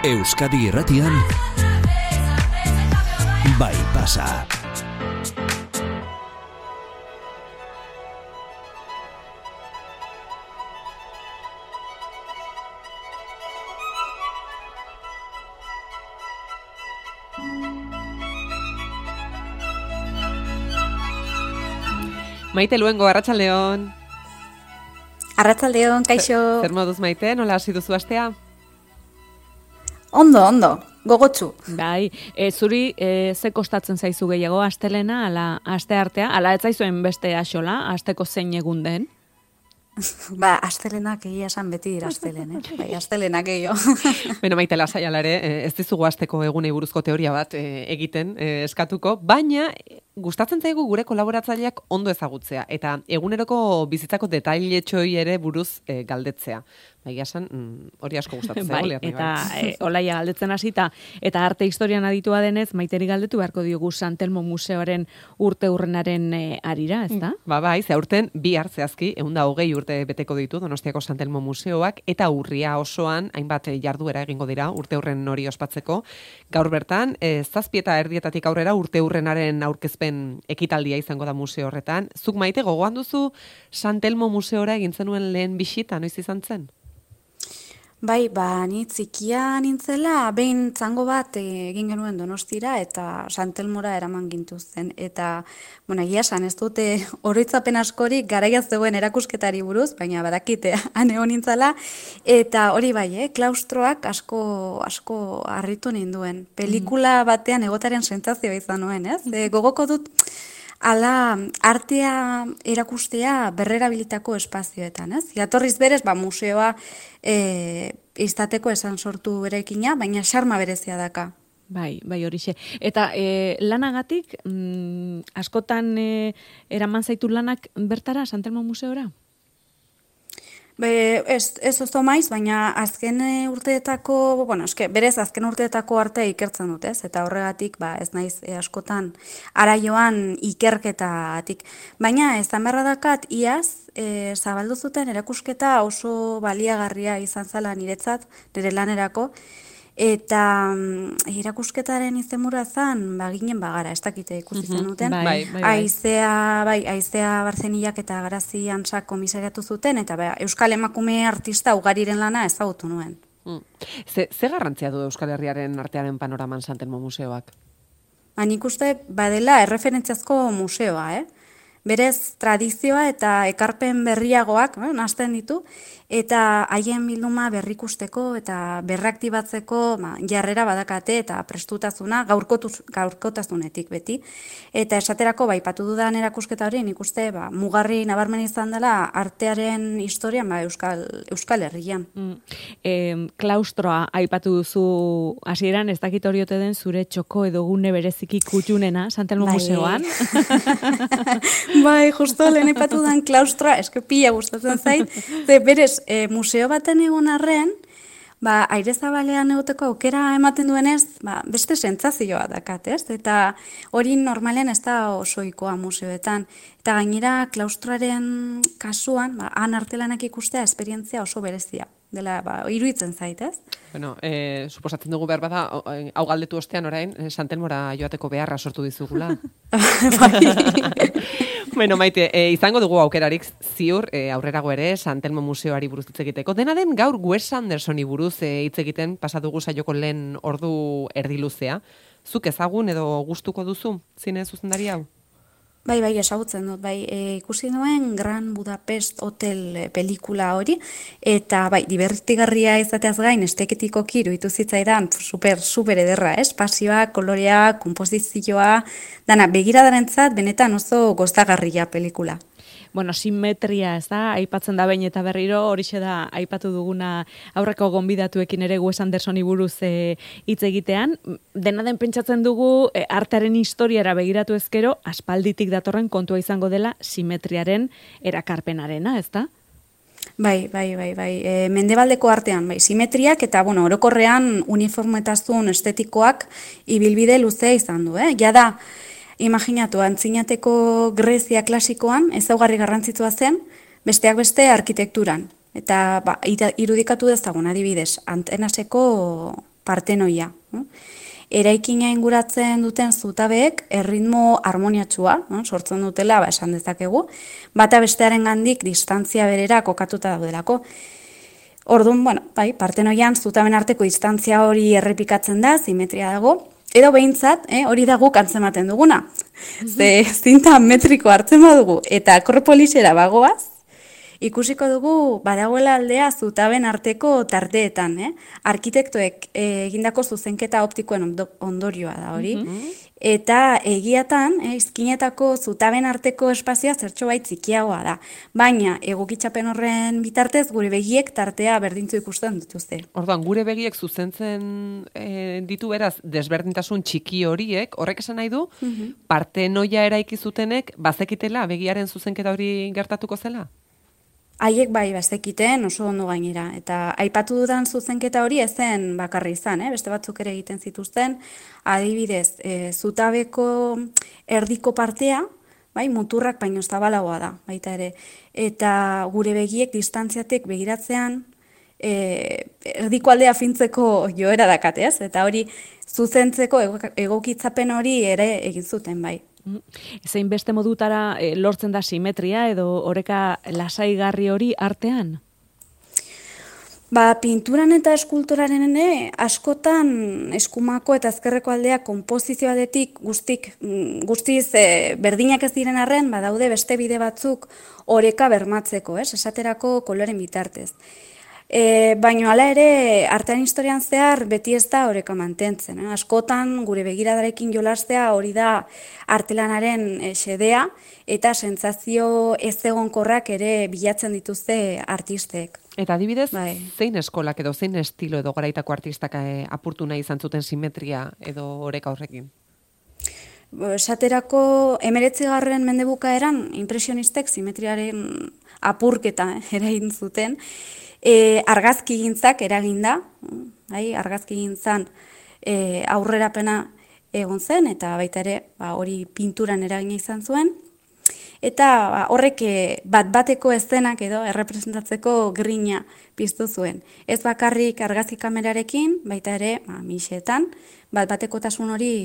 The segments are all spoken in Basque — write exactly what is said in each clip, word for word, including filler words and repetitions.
Euskadi Irratian Bai Pasa. Maite Luengo, arratsaldeon. Arratsaldeon, kaixo. Zer moduz Maite, nola hasi duzu astea? Ondo, ondo, gogotsu. Bai, e, zuri e, ze kostatzen zaizu gehiago astelena, ala aste artea, ala ez zaizuen beste axola, asteko zein egun den? Ba, astelenak egia esan beti dira astelen, eh? Bai, astelenak gehiago. Beno, Maite, lasai ala ere, ez dizugu asteko egunei buruzko teoria bat e, egiten e, eskatuko, baina gustatzen zaigu gure kolaboratzaileak ondo ezagutzea, eta eguneroko bizitzako detailetxoi ere buruz e, galdetzea. Bai, esan, mm, hori asko gustatzen bai, zaigu. Eta e, olaia galdetzen hasita eta arte historian aditua denez, Maiteri galdetu beharko diogu San Telmo Museoaren urte urrenaren e, arira, ez da? Ba, bai, ze aurten bi hartzeazki, ehun eta hogei urte beteko ditu Donostiako San Telmo Museoak, eta urria osoan hainbat jarduera egingo dira urte urren hori ospatzeko. Gaur bertan, e, zazpi eta erdietatik aurrera urte urrenaren aurkezpen ekitaldia izango da museo horretan. Zuk, Maite, gogoan duzu San Telmo Museora egin zenuen lehen bisita, noiz izan zen? Bai, ba, ni txikia nintzela, behin zango bat egin genuen Donostira eta San Telmora eraman gintuzten. Eta, bueno, egia esan, ez dute oroitzapen askorik garaiaz zegoen erakusketari buruz, baina badakite han egon nintzela. Eta hori bai, eh, klaustroak asko, asko harritu ninduen. Pelikula batean egotaren sentsazioa izan nuen, ez? E, gogoko dut, ala artea erakustea berrerabilitako espazioetan, ez? Jatorriz berez, ba, museoa e, izateko esan sortu berekina, baina xarma berezia daka. Bai, bai horixe. Eta e, lanagatik, mm, askotan e, eraman zaitu lanak bertara, San Telmo Museora? Be, ez, ez oso maiz, baina azken urteetako, bueno, eske, berez azken urteetako artea ikertzen dut, ez? Eta horregatik, ba, ez naiz e, askotan araioan ikerketatik. Baina ezan beharra dakat, iaz, e, zabaldu zuten erakusketa oso baliagarria izan zela niretzat, nire lanerako, eta mm, erakusketaren izenburua zan, ba, ginen bagara, ez dakite ikusi zenuten. Bai, bai, bai. Aizea, bai, Aizea Barzenillak eta Garazi Antsak komisariatu zuten, eta ba, Euskal Emakume artista ugariren lana ezagutu nuen. Mm. Ze, ze garrantzia du Euskal Herriaren artearen panoraman San Telmo Museoak? Ba, nik uste badela erreferentziazko museoa, eh? Berez tradizioa eta ekarpen berriagoak, eh, nahasten ditu, eta haien bilduma berrikusteko eta berraktibatzeko ba, jarrera badakate eta prestutasuna gaurkotuz, gaurkotasunetik beti. Eta esaterako, ba, aipatu dudan erakusketa hori, nik uste ba, mugarri nabarmen izan dela artearen historian ba, Euskal, Euskal Herrian. Mm. E, klaustroa aipatu duzu hasieran, ez dakit hori ote den zure txoko edo gune bereziki kutxunena San Telmo Bai. Museoan. Bai, justo lehen epatu den klaustroa, eske pila gustatzen zait, ze berez, e, museo baten egon arren, ba, aire zabalean egoteko aukera ematen duenez, ba, beste sentsazioa dakat, ez? Eta hori normalen ez da osoikoa museoetan. Eta gainera, klaustroaren kasuan, ba, han artelanak ikustea esperientzia oso berezia. Dela, ba, iruditzen zait, ez? Bueno, eh, suposatzen dugu behar bada, hau galdetu ostean orain, San Telmora joateko beharra sortu dizugula. Bueno, Maite, e, izango dugu aukerarik ziur, e, aurrerago ere, San Telmo Museoari buruz hitz egiteko. Dena den gaur Wes Andersoni buruz e, hitz egiten pasatugu saioko lehen ordu erdiluzea. Zuk ezagun edo gustuko duzu zine zuzendari hau? Bai, bai, esagutzen dut, bai, e, ikusi nuen Gran Budapest Hotel pelikula hori, eta bai, divertigarria izateaz gain, esteketikoki iruditu zitzaidan, super, super ederra, ez? Pasioa, kolorea, konposizioa, dana, begiradarentzat benetan oso gozagarria pelikula. Bueno, simetria, ez da, aipatzen da behin eta berriro, horixe da, aipatu duguna aurreko gonbidatuekin ere Wes Andersoni buruz e, hitz egitean. Dena den pentsatzen dugu, e, artearen historiara begiratu ezkero, aspalditik datorren kontua izango dela simetriaren erakarpenarena, ez da? Bai, bai, bai, bai. E, mendebaldeko artean, bai, simetriak eta, bueno, orokorrean uniformetazun estetikoak ibilbide luzea izan du, eh? Ja da, imaginatu, antzinateko Grezia klasikoan ezaugarri garrantzitsua zen, besteak beste arkitekturan. Eta ba, irudikatu dezagun adibidez, Antenaseko partenoia. No? Eraikina inguratzen duten zutabeek erritmo harmoniatsua, no? Sortzen dutela, ba, esan dezakegu, bata bestearen gandik distantzia berera kokatuta daudelako. Orduan, bueno, bai, partenoian zutaben arteko distantzia hori errepikatzen da, simetria dago, edo behintzat, eh, hori da guk antzematen duguna. Ze zinta metriko hartzen badugu eta akropolisera bagoaz, ikusiko dugu badagoela aldea zutaben arteko tarteetan, eh? Arkitektoek eh, egindako zuzenketa optikoen ondo, ondorioa da hori. Mm-hmm. Eta egiatan, eh, izkinetako zutaben arteko espazioa zertxo bait txikiagoa da. Baina egokitzapen horren bitartez gure begiek tartea berdintzu ikusten dituzte. Orduan, gure begiek zuzentzen e, ditu beraz desberdintasun txiki horiek, horrek esan nahi du, mm-hmm. partenoia eraiki zutenek bazekitela begiaren zuzenketa hori gertatuko zela? Haiek bai bazekiten oso ondo gainera, eta aipatu dudan zuzenketa hori ezen bakarri izan, eh? Beste batzuk ere egiten zituzten, adibidez, e, zutabeko erdiko partea, bai, muturrak baino zabalagoa da, baita ere, eta gure begiek distantziatik begiratzean, e, erdiko aldea fintzeko joera dakate, ez? Eta hori zuzentzeko egokitzapen hori ere egin zuten, bai. Zein beste modutara e, lortzen da simetria edo oreka lasaigarri hori artean? Ba, pinturan eta eskulturaren ere, askotan eskumako eta ezkerreko aldea konpozizioadetik guztik, guztiz e, berdinak ez diren arren, badaude beste bide batzuk oreka bermatzeko, ez? Esaterako koloren bitartez. E, baina hala ere, artean historian zehar beti ez da oreka mantentzen. Eh? Askotan gure begiradarekin jolastea hori da artelanaren e, xedea eta sentsazio ez egonkorrak ere bilatzen dituzte artistek. Eta adibidez, bai. Zein eskolak edo zein estilo edo garaitako artistak e, apurtu nahi izan zuten simetria edo oreka horrekin? Esaterako emeretzigarren mendebukaeran impresionistek simetriaren apurketa eh, eragin zuten. E, argazkigintzak eraginda, bai, argazkigintzan e, aurrerapena egon zen, eta baita ere ba, hori pinturan eragina izan zuen. Eta ba, horrek bat-bateko eszenak edo errepresentatzeko grina piztu zuen. Ez bakarrik argazki kamerarekin, baita ere ba, mixetan, bat-batekotasun hori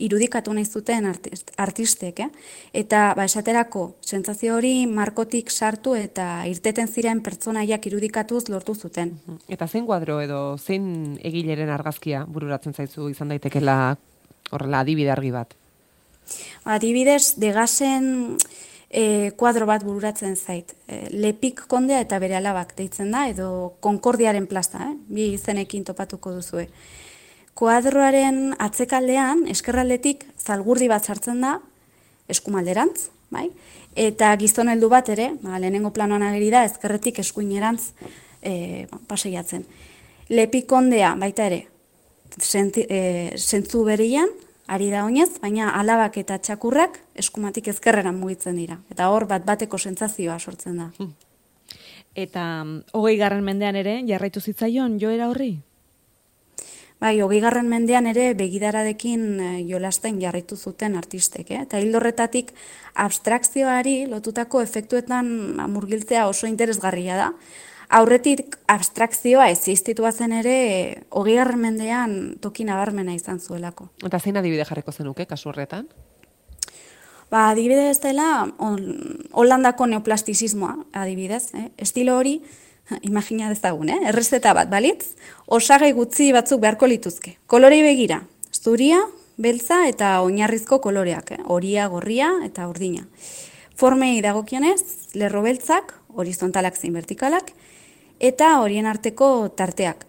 irudikatu nahi zuten artist, artistek, eh? Eta ba, esaterako sentsazio hori markotik sartu eta irteten ziren pertsonaiak irudikatuz lortu zuten. Eta zein kuadro edo zein egileren argazkia bururatzen zaizu izan daitekela horrela adibide argi bat? Adibidez, Degasen e, kuadro bat bururatzen zait. E, Lepik kondea eta bere alabak deitzen da, edo Konkordiaren plaza, eh? Bi izenekin topatuko duzue. Kuadroaren atzekaldean, eskerraldetik zalgurdi bat sartzen da, eskumalderantz, bai? Eta gizon heldu bat ere, ba, lehenengo planoan ageri da, ezkerretik eskuinerantz e, paseiatzen. Lepikondea, baita ere, senti, e, sentzu berian, ari da oinez, baina alabak eta txakurrak eskumatik ezkerreran mugitzen dira. Eta hor bat bateko sentsazioa sortzen da. Eta hogei garren mendean ere, jarraitu zitzaion joera horri? Bai, hogei garren mendean ere begidaradekin jolasten jarraitu zuten artistek, eh? Eta hildorretatik abstrakzioari lotutako efektuetan murgiltzea oso interesgarria da. Aurretik abstrakzioa existitua zen ere hogei garren mendean toki nabarmena izan zuelako. Eta zein adibide jarriko zenuke kasu horretan? Ba, adibidez dela Holandako neoplastizismoa, adibidez, eh? Estilo hori, imagina dezagun, eh? Errezeta bat balitz, osagai gutxi batzuk beharko lituzke. Kolorei begira, zuria, beltza eta oinarrizko koloreak, eh? Horia, gorria eta urdina. Formei dagokionez, lerro beltzak, horizontalak zein vertikalak, eta horien arteko tarteak.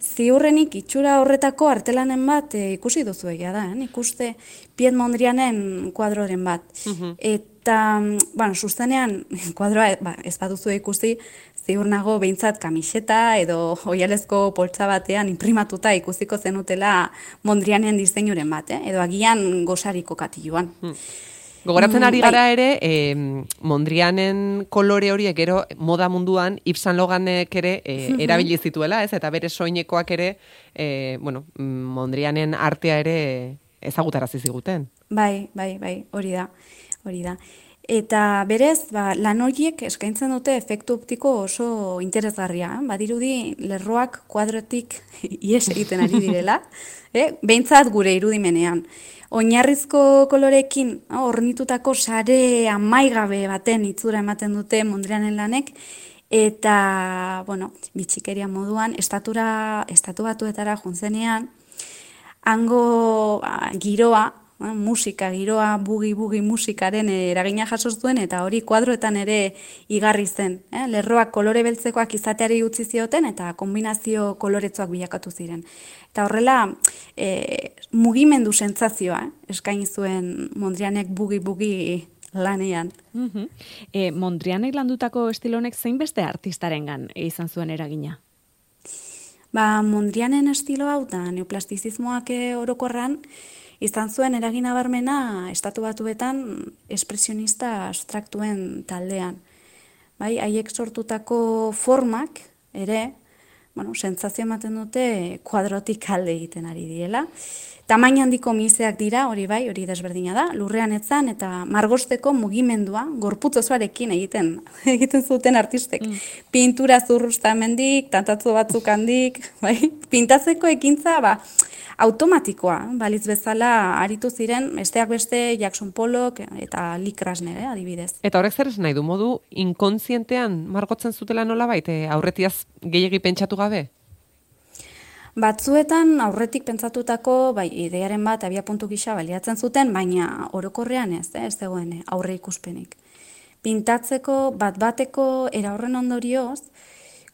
Ziurrenik itxura horretako artelanen bat e, ikusi duzu egia da, eh? Ikuste Piet Mondrianen kuadroren bat. Uh-huh. Eta, bueno, sustenean, kuadroa ba, ez baduzu ikusi, ziur nago behintzat kamiseta edo oialezko poltsa batean imprimatuta ikusiko zenutela Mondrianen diseinuren bat, eh? Edo agian gosariko katiluan. Hmm. Gogoratzen ari gara ere, eh, Mondrianen kolore horiek gero moda munduan Yves Saint Laurentek ere eh, erabili zituela, ez? Eta bere soinekoak ere, eh, bueno, Mondrianen artea ere ezagutarazi ziguten. Bai, bai, bai, hori da, hori da. Eta berez, ba, lan horiek eskaintzen dute efektu optiko oso interesgarria. Eh? Badirudi lerroak kuadrotik ies egiten ari direla, eh? Behintzat gure irudimenean. Oinarrizko kolorekin ornitutako sare amaigabe baten itzura ematen dute Mondrianen lanek, eta, bueno, bitxikeria moduan, estatura, estatu batuetara juntzenean, hango a, giroa, a, musika, giroa, bugi-bugi musikaren eragina jaso zuen, eta hori kuadroetan ere igarri zen. Eh? Lerroak kolore beltzekoak izateari utzi zioten, eta kombinazio koloretzoak bilakatu ziren. Eta horrela, e, mugimendu sentsazioa eh? eskaini zuen Mondrianek bugi-bugi lanean. Uh-huh. E, Mondrianek landutako estilonek zein beste artistarengan izan zuen eragina? Ba, Mondrianen estilo hau da neoplastizismoak orokorran izan zuen eragina barmena estatu batuetan espresionista abstraktuen taldean. Bai, haiek sortutako formak ere, bueno, sentsazio ematen dute kuadrotik alde egiten ari direla. Tamaina handiko miseak dira, hori bai, hori desberdina da, lurrean etzan eta margosteko mugimendua gorputz osoarekin egiten egiten zuten artistek. Mm. Pintura zurrustamendik, tantatzu batzuk handik, bai, pintatzeko ekintza, ba, automatikoa, balitz bezala aritu ziren, besteak beste Jackson Pollock eta Lee Krasner, eh, adibidez. Eta horrek zer esan nahi du, modu inkontzientean margotzen zutela nolabait, aurretiaz gehiegi pentsatu gabe? Batzuetan aurretik pentsatutako bai, idearen bat abia puntu gisa baliatzen zuten, baina orokorrean ez, eh, ez zegoen aurre ikuspenik. Pintatzeko bat-bateko era horren ondorioz,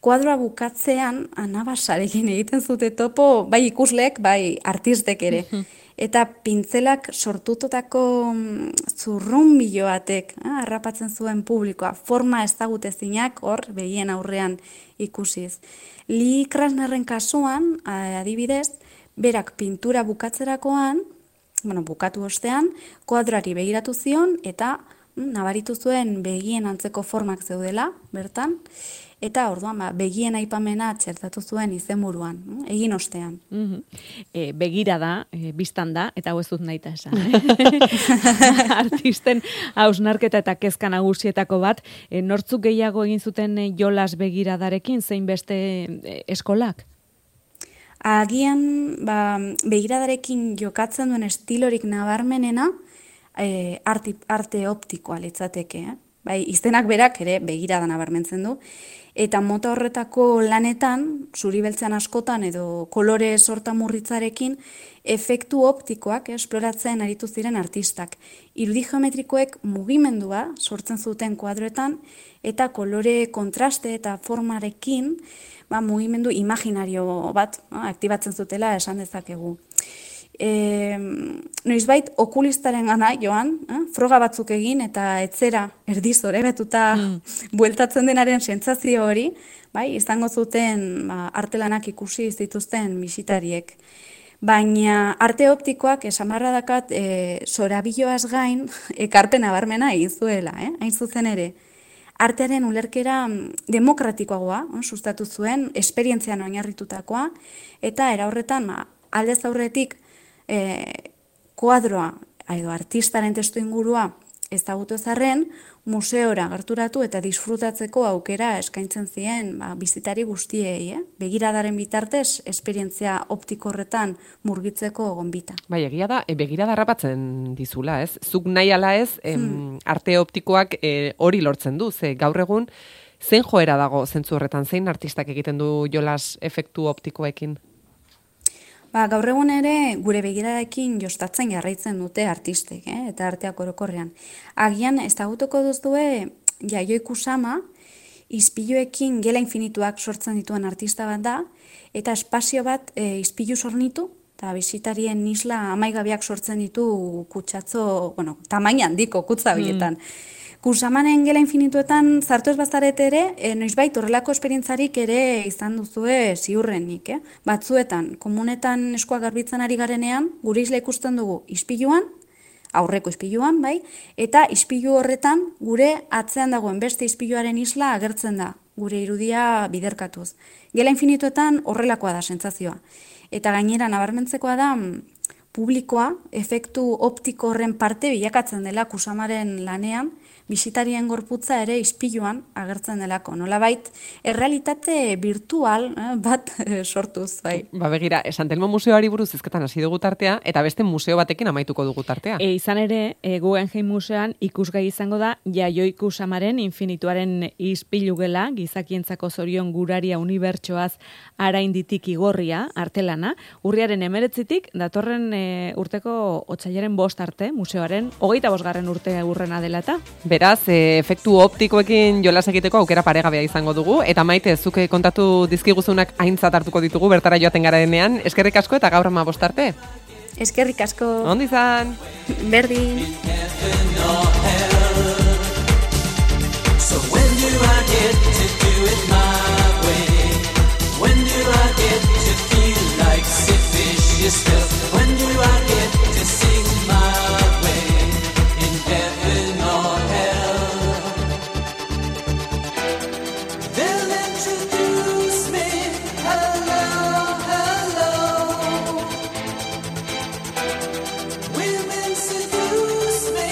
kuadroa bukatzean anabasarekin egiten zute topo, bai ikusleek, bai artistek ere. Eta pintzelak sortututako zurrunbilo batek eh, harrapatzen zuen publikoa, forma ezagutezinak hor begien aurrean ikusiz. Lee Krasnerren kasuan, adibidez, berak pintura bukatzerakoan, bueno, bukatu ostean, kuadrari begiratu zion eta mm, nabaritu zuen begien antzeko formak zeudela, bertan, eta orduan ba, begien aipamena txertatu zuen izenburuan, egin ostean. Uh-huh. E, begira da, e, biztan da, eta hau ez dut nahi esan. Eh? Artisten hausnarketa eta kezka nagusietako bat, e, nortzuk gehiago egin zuten e, jolas begiradarekin, zein beste e, eskolak? Agian, ba, begiradarekin jokatzen duen estilorik nabarmenena, e, arte, arte optikoa litzateke, eh? Bai, izenak berak ere begirada nabarmentzen du, eta mota horretako lanetan, zuri beltzean askotan edo kolore sorta murritzarekin, efektu optikoak esploratzen aritu ziren artistak. Irudi geometrikoek mugimendua sortzen zuten kuadroetan, eta kolore kontraste eta formarekin, ba, mugimendu imaginario bat no, aktibatzen zutela esan dezakegu. E, noizbait okulistaren gana joan, eh, froga batzuk egin eta etzera erdizore betuta mm. bueltatzen denaren sentsazio hori, bai, izango zuten ba, artelanak ikusi zituzten bisitariek. Baina arte optikoak esamarra dakat e, zorabiloaz gain ekarpen nabarmena egin zuela, eh? Hain zuzen ere. Artearen ulerkera demokratikoagoa, eh, sustatu zuen, esperientzian oinarritutakoa, eta era horretan ba, aldez aurretik E, kuadroa edo artistaren testu ingurua ezagutu ezarren, museora gerturatu eta disfrutatzeko aukera eskaintzen zien ba, bizitari guztiei, eh? Begiradaren bitartez, esperientzia optiko horretan murgitzeko gonbita. Bai, egia da, e, begirada harrapatzen dizula, ez? Zuk nahi ala ez, em, hmm. arte optikoak e, hori lortzen du, ze gaur egun, zein joera dago zentzu horretan, zein artistak egiten du jolas efektu optikoekin? Ba, gaur egun ere gure begiradarekin jostatzen jarraitzen dute artistek, eh? Eta arteak orokorrean. Agian ezagutuko duzue Yayoi Kusama, ispiluekin gela infinituak sortzen dituen artista bat da, eta espazio bat e, ispilu sornitu, eta bisitarien isla amaigabiak sortzen ditu kutsatzo, bueno, tamaina handiko kutza bietan. Mm. Kusamanen gela infinituetan zartu ez bazarete ere, e, noizbait horrelako esperientzarik ere izan duzue ziurrenik. Eh? Batzuetan, komunetan eskuak garbitzen ari garenean, gure isla ikusten dugu ispiluan, aurreko ispiluan, bai, eta ispilu horretan gure atzean dagoen beste ispiluaren isla agertzen da, gure irudia biderkatuz. Gela infinituetan horrelakoa da sentsazioa. Eta gainera nabarmentzekoa da, publikoa efektu optiko horren parte bilakatzen dela Kusamaren lanean, bisitarien gorputza ere ispiluan agertzen delako. Nolabait, errealitate virtual eh, bat eh, sortuz, bai. Ba begira, San Telmo museoari buruz hizketan hasi dugu tartea, eta beste museo batekin amaituko dugu tartea. E, izan ere, e, Guggenheim museoan ikusgai izango da Jaioiku Samaren infinituaren ispilu gela, gizakientzako zorion guraria unibertsoaz arainditik igorria, artelana, urriaren emeretzitik, datorren e, urteko otsailaren bost arte, museoaren hogeita bosgarren urte urrena dela eta. Beraz, e, efektu optikoekin jolas egiteko aukera paregabea izango dugu, eta Maite, zuke kontatu dizkiguzunak aintzat hartuko ditugu bertara joaten garenean. Eskerrik asko eta gaur ama bost arte. Eskerrik asko. Ondo izan. Berdin. So when do I get to do it my way? When do I get to feel like Sid Vicious stuff? When do I get to sing my way in heaven or hell? They'll introduce me, hello, hello. Women seduce me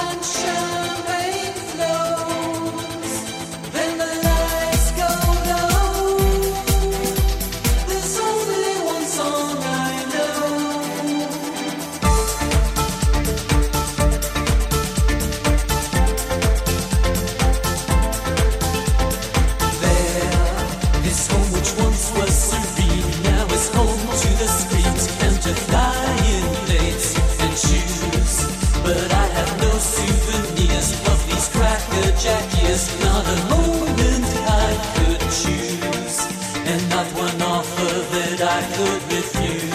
and champagne flows. Then the lights go low. There's only one song I know. There, this home which once was serene now is home to the screams and to flying plates and shoes. But I have no souvenirs of these crackerjack years, not a moment I could choose, and not one offer that I could refuse.